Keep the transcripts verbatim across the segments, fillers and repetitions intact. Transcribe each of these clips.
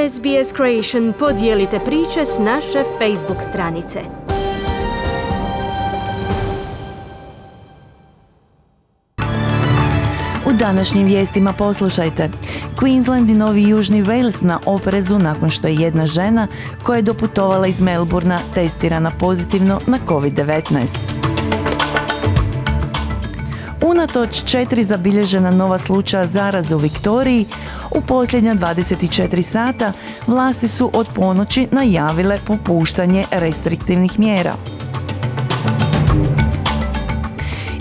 S B S Creation podijelite priče s naše Facebook stranice. U današnjim vijestima poslušajte. Queensland i Novi Južni Wales na oprezu nakon što je jedna žena koja je doputovala iz Melbourna testirana pozitivno na covid devetnaest. Unatoč četiri zabilježena nova slučaja zaraze u Viktoriji, u posljednja dvadeset četiri sata vlasti su od ponoći najavile popuštanje restriktivnih mjera.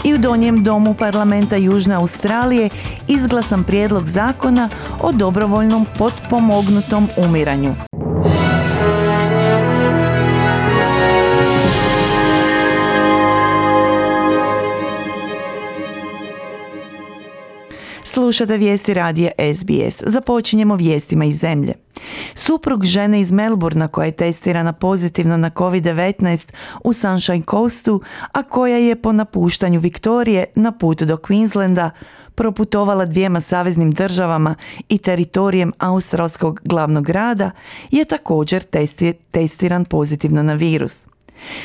I u Donjem domu parlamenta Južne Australije izglasan prijedlog zakona o dobrovoljnom potpomognutom umiranju. Slušate vijesti radija S B S. Započinjemo vijestima iz zemlje. Suprug žene iz Melbourna koja je testirana pozitivno na covid devetnaest u Sunshine Coastu, a koja je po napuštanju Viktorije na put do Queenslanda proputovala dvijema saveznim državama i teritorijem australskog glavnog grada, je također testi, testiran pozitivno na virus.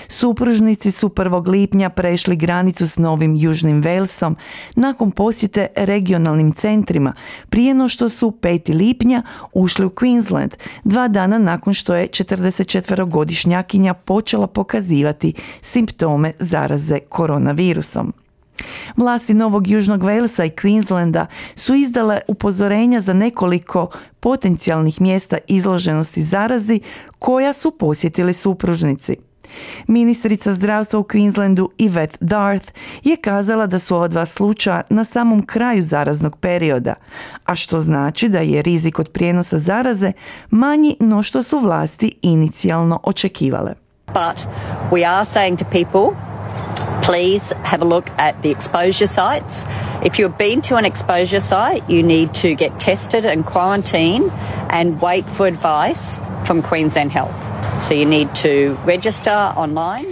Supružnici su prvog lipnja prešli granicu s Novim Južnim Walesom nakon posjete regionalnim centrima, prije no što su petog lipnja ušli u Queensland, dva dana nakon što je četrdesetčetverogodišnjakinja počela pokazivati simptome zaraze koronavirusom. Vlasti Novog Južnog Walesa i Queenslanda su izdale upozorenja za nekoliko potencijalnih mjesta izloženosti zarazi koja su posjetili supružnici. Ministrica zdravstva u Queenslandu Yvette Darth je kazala da su ova dva slučaja na samom kraju zaraznog perioda, a što znači da je rizik od prijenosa zaraze manji no što su vlasti inicijalno očekivale. But we are saying to people, please have a look at the exposure sites. If you've been to an exposure site, you need to get tested and quarantined and wait for advice from Queensland Health. So you need to register online.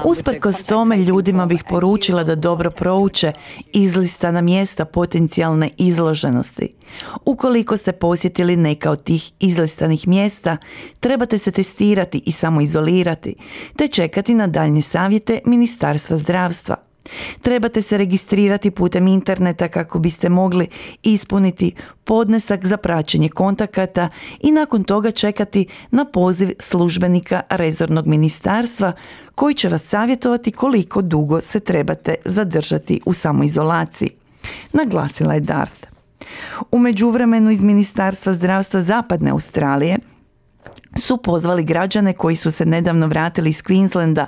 Usprkos tome ljudima bih poručila da dobro prouče izlistana mjesta potencijalne izloženosti. Ukoliko ste posjetili neka od tih izlistanih mjesta, trebate se testirati i samoizolirati, te čekati na daljnje savjete Ministarstva zdravstva. Trebate se registrirati putem interneta kako biste mogli ispuniti podnesak za praćenje kontakata i nakon toga čekati na poziv službenika rezornog ministarstva koji će vas savjetovati koliko dugo se trebate zadržati u samoizolaciji, naglasila je Darth. U međuvremenu iz Ministarstva zdravstva Zapadne Australije su pozvali građane koji su se nedavno vratili iz Queenslanda,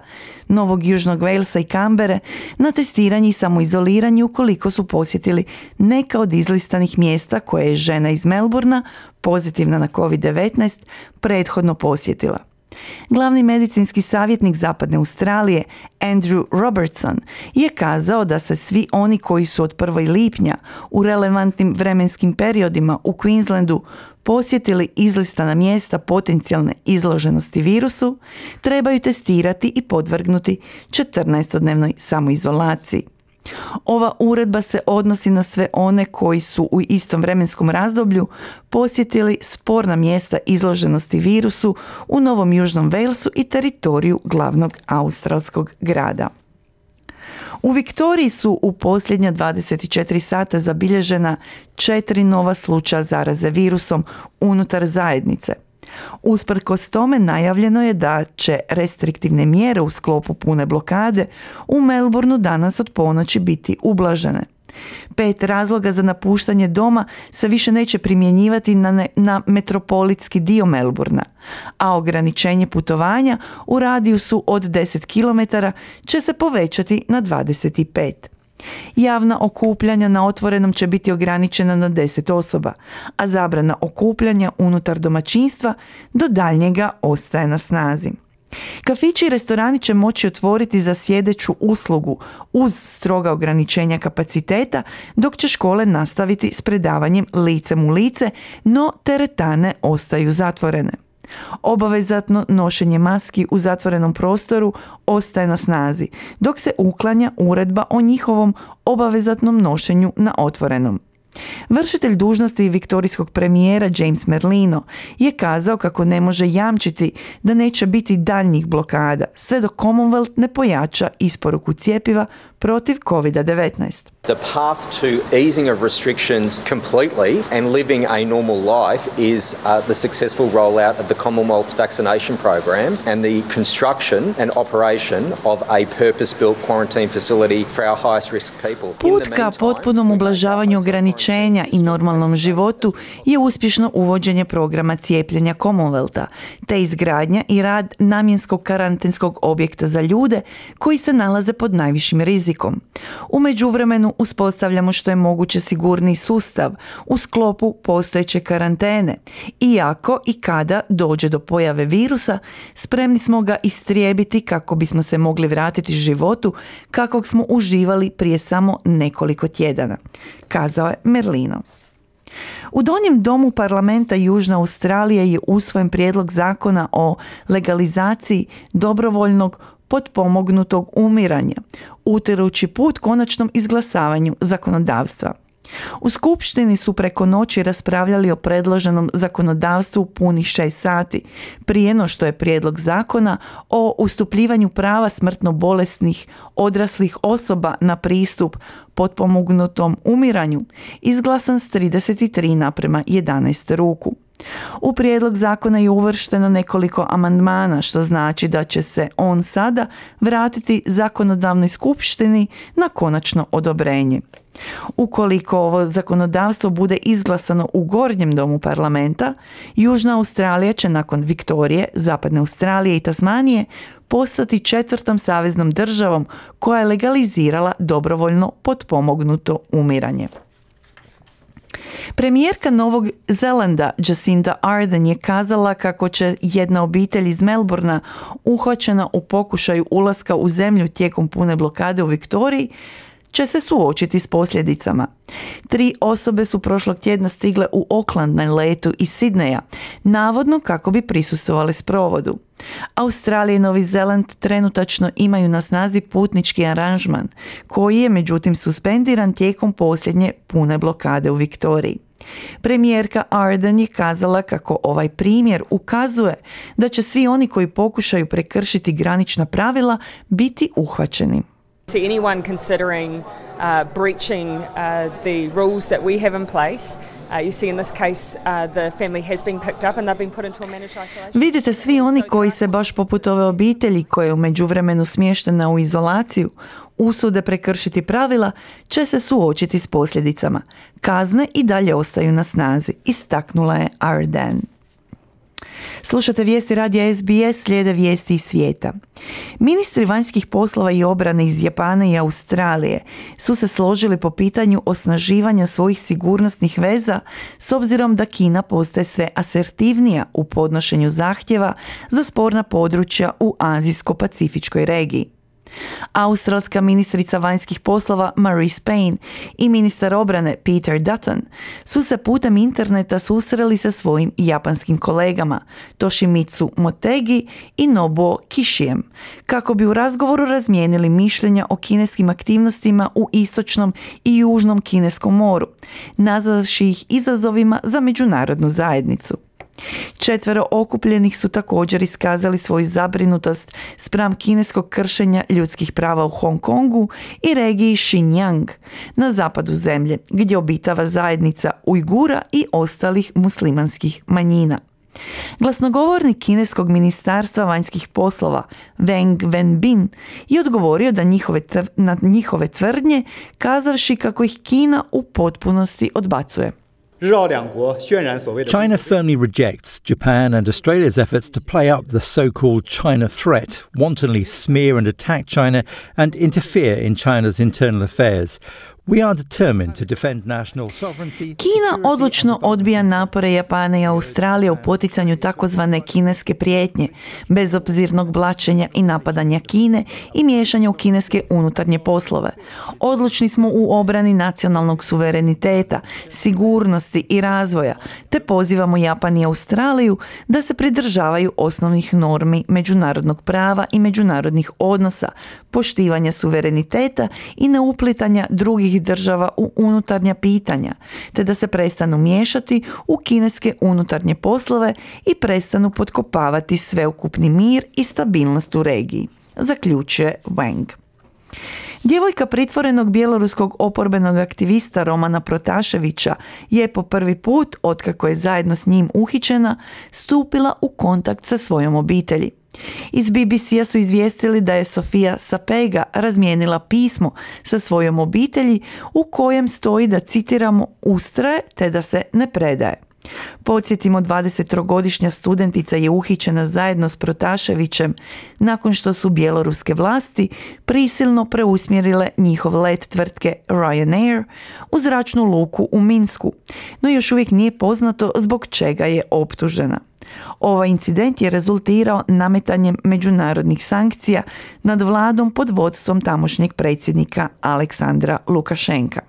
Novog Južnog Walesa i Canberre na testiranje i samoizoliranje ukoliko su posjetili neka od izlistanih mjesta koje je žena iz Melbourna, pozitivna na covid devetnaest, prethodno posjetila. Glavni medicinski savjetnik Zapadne Australije Andrew Robertson je kazao da se svi oni koji su od prvog lipnja u relevantnim vremenskim periodima u Queenslandu posjetili izlistana mjesta potencijalne izloženosti virusu trebaju testirati i podvrgnuti četrnaestodnevnoj samoizolaciji. Ova uredba se odnosi na sve one koji su u istom vremenskom razdoblju posjetili sporna mjesta izloženosti virusu u Novom Južnom Walesu i teritoriju glavnog australskog grada. U Viktoriji su u posljednja dvadeset četiri sata zabilježena četiri nova slučaja zaraze virusom unutar zajednice. Usprkos tome najavljeno je da će restriktivne mjere u sklopu pune blokade u Melbourneu danas od ponoći biti ublažene. Pet razloga za napuštanje doma se više neće primjenjivati na, ne, na metropolitski dio Melbourna, a ograničenje putovanja u radijusu od deset kilometara će se povećati na dvadeset pet. Javna okupljanja na otvorenom će biti ograničena na deset osoba, a zabrana okupljanja unutar domaćinstva do daljnjega ostaje na snazi. Kafići i restorani će moći otvoriti za sjedeću uslugu uz stroga ograničenja kapaciteta, dok će škole nastaviti s predavanjem licem u lice, no teretane ostaju zatvorene. Obavezatno nošenje maski u zatvorenom prostoru ostaje na snazi, dok se uklanja uredba o njihovom obavezatnom nošenju na otvorenom. Vršitelj dužnosti viktorijskog premijera James Merlino je kazao kako ne može jamčiti da neće biti daljnjih blokada sve dok Commonwealth ne pojača isporuku cjepiva protiv covid devetnaest. The path to easing of restrictions completely and living a normal life is uh, the successful rollout of the Commonwealth's vaccination program and the construction and operation of a purpose-built quarantine facility for our highest risk people. Put ka potpunom ublažavanju ograničenja i normalnom životu je uspješno uvođenje programa cijepljenja Commonwealtha, te izgradnja i rad namjenskog karantenskog objekta za ljude koji se nalaze pod najvišim rizikom. U međuvremenu uspostavljamo što je moguće sigurniji sustav u sklopu postojeće karantene. Iako i kada dođe do pojave virusa, spremni smo ga istrijebiti kako bismo se mogli vratiti životu kakvog smo uživali prije samo nekoliko tjedana, kazao je Merlino. U Donjem domu parlamenta Južne Australije je usvojen prijedlog zakona o legalizaciji dobrovoljnog potpomognutog umiranja, utirući put konačnom izglasavanju zakonodavstva. U skupštini su preko noći raspravljali o predloženom zakonodavstvu punih šest sati, prije no što je prijedlog zakona o ustupljivanju prava smrtno bolesnih odraslih osoba na pristup potpomognutom umiranju izglasan s trideset tri naprema jedanaest ruku. U prijedlog zakona je uvršteno nekoliko amandmana, što znači da će se on sada vratiti zakonodavnoj skupštini na konačno odobrenje. Ukoliko ovo zakonodavstvo bude izglasano u Gornjem domu parlamenta, Južna Australija će nakon Viktorije, Zapadne Australije i Tasmanije postati četvrtom saveznom državom koja je legalizirala dobrovoljno potpomognuto umiranje. Premijerka Novog Zelanda Jacinda Ardern je kazala kako će jedna obitelj iz Melbourna uhvaćena u pokušaju ulaska u zemlju tijekom pune blokade u Viktoriji će se suočiti s posljedicama. Tri osobe su prošlog tjedna stigle u Auckland na letu iz Sidneja, navodno kako bi prisustvovali sprovodu. Australija i Novi Zeland trenutačno imaju na snazi putnički aranžman, koji je međutim suspendiran tijekom posljednje pune blokade u Viktoriji. Premijerka Ardern je kazala kako ovaj primjer ukazuje da će svi oni koji pokušaju prekršiti granična pravila biti uhvaćeni. To anyone considering uh, breaching uh, the rules that we have in place, uh, you see in this case uh, the family has been picked up and they've been put into a managed isolation. Vidite, svi oni koji se baš poput ove obitelji koja je u međuvremenu smještena u izolaciju usude prekršiti pravila, će se suočiti s posljedicama. Kazne i dalje ostaju na snazi, istaknula je Ardern. Slušate vijesti radija S B S, slijede vijesti iz svijeta. Ministri vanjskih poslova i obrane iz Japana i Australije su se složili po pitanju osnaživanja svojih sigurnosnih veza s obzirom da Kina postaje sve asertivnija u podnošenju zahtjeva za sporna područja u azijsko-pacifičkoj regiji. Australska ministrica vanjskih poslova Marise Payne i ministar obrane Peter Dutton su se putem interneta susreli sa svojim japanskim kolegama Toshimitsu Motegi i Nobuo Kishijem kako bi u razgovoru razmijenili mišljenja o kineskim aktivnostima u istočnom i južnom kineskom moru, nazvavši ih izazovima za međunarodnu zajednicu. Četvero okupljenih su također iskazali svoju zabrinutost spram kineskog kršenja ljudskih prava u Hong Kongu i regiji Xinjiang na zapadu zemlje, gdje obitava zajednica Ujgura i ostalih muslimanskih manjina. Glasnogovornik kineskog ministarstva vanjskih poslova Wang Wenbin je odgovorio da njihove tv- na njihove tvrdnje, kazavši kako ih Kina u potpunosti odbacuje. China firmly rejects Japan and Australia's efforts to play up the so-called China threat, wantonly smear and attack China, and interfere in China's internal affairs. We are determined to defend national sovereignty. Kina odlučno odbija napore Japana i Australije u poticanju takozvane kineske prijetnje, bezobzirnog blaćenja i napadanja Kine i miješanja u kineske unutarnje poslove. Odlučni smo u obrani nacionalnog suvereniteta, sigurnosti i razvoja, te pozivamo Japan i Australiju da se pridržavaju osnovnih normi međunarodnog prava i međunarodnih odnosa, poštivanja suvereniteta i neuplitanja drugih drugih država u unutarnja pitanja, te da se prestanu miješati u kineske unutarnje poslove i prestanu potkopavati sveukupni mir i stabilnost u regiji, zaključuje Wang. Djevojka pritvorenog bjeloruskog oporbenog aktivista Romana Protaševića je po prvi put, otkako je zajedno s njim uhićena, stupila u kontakt sa svojom obitelji. Iz B B C-a su izvijestili da je Sofia Sapega razmijenila pismo sa svojom obitelji u kojem stoji da, citiramo, ustraje te da se ne predaje. Podsjetimo, dvadesettrogodišnja studentica je uhićena zajedno s Protaševićem nakon što su bjeloruske vlasti prisilno preusmjerile njihov let tvrtke Ryanair u zračnu luku u Minsku, no još uvijek nije poznato zbog čega je optužena. Ovaj incident je rezultirao nametanjem međunarodnih sankcija nad vladom pod vodstvom tamošnjeg predsjednika Aleksandra Lukašenka.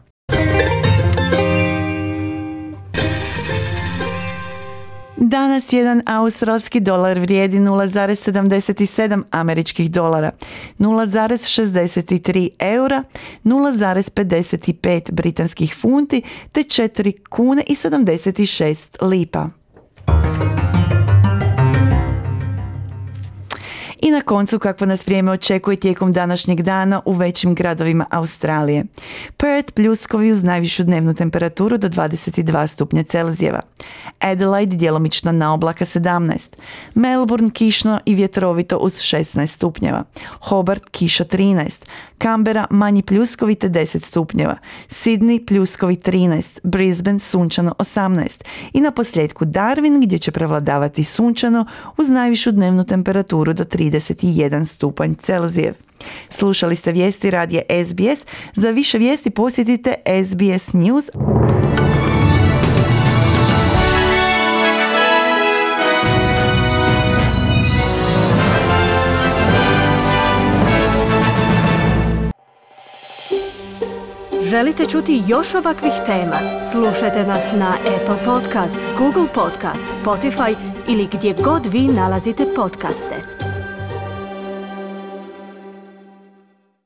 Danas jedan australski dolar vrijedi nula zarez sedamdeset sedam američkih dolara, nula zarez šezdeset tri eura, nula zarez pedeset pet britanskih funti te četiri kune i sedamdeset šest lipa. I na koncu, kakvo nas vrijeme očekuje tijekom današnjeg dana u većim gradovima Australije. Perth pljuskovi uz najvišu dnevnu temperaturu do dvadeset dva stupnja Celzijeva. Adelaide djelomično na oblaka sedamnaest. Melbourne kišno i vjetrovito uz šesnaest stupnjeva. Hobart kiša trinaest. Canberra manji pljuskovi te deset stupnjeva. Sydney pljuskovi trinaest. Brisbane sunčano osamnaest. I na posljedku Darwin gdje će prevladavati sunčano uz najvišu dnevnu temperaturu do trideset jedan stupanj Celzijev. Slušali ste vijesti radija S B S. Za više vijesti posjetite S B S News. Želite čuti još ovakvih tema? Slušajte nas na Apple Podcast, Google Podcast, Spotify ili gdje god vi nalazite podcaste.